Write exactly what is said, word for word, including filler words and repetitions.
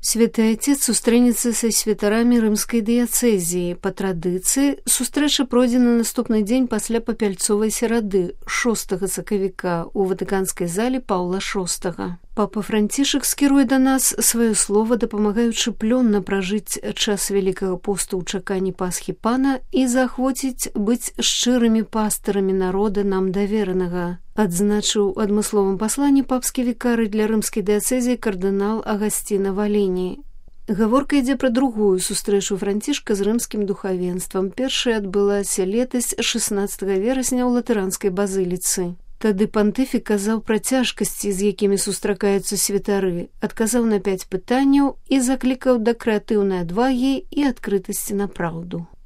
Святы Отец сустрэнецца са святарамі рымскай дыяцэзіі. Па традыцыі, сустрэча пройдзе на наступны дзень пасля папяльцовай серады, шостага сакавіка, у ватыканскай зале Паўла шостага. Папа Францішак скіруе да нас сваё слова, дапамагаючы плённа пражыць час Вялікага посту ў чаканні Пасхі Пана і заахвоціць быць шчырымі пастырамі народа нам даверанага, адзначыў у адмысловым пасланні папскі вікарый для рымскай дыяцэзіі кардынал Агасціна Валені. Гаворка ідзе пра другую сустрэчу Францішка з рымскім духавенствам. Першая адбылася летась шаснаццатага верасня ў латыранскай базыліцы. Тады пантыфік казаў пра цяжкасці, з якімі сустракаюцца святары, адказаў на пяць пытанняў і заклікаў да крэатыўнай адвагі і адкрытасці на праўду.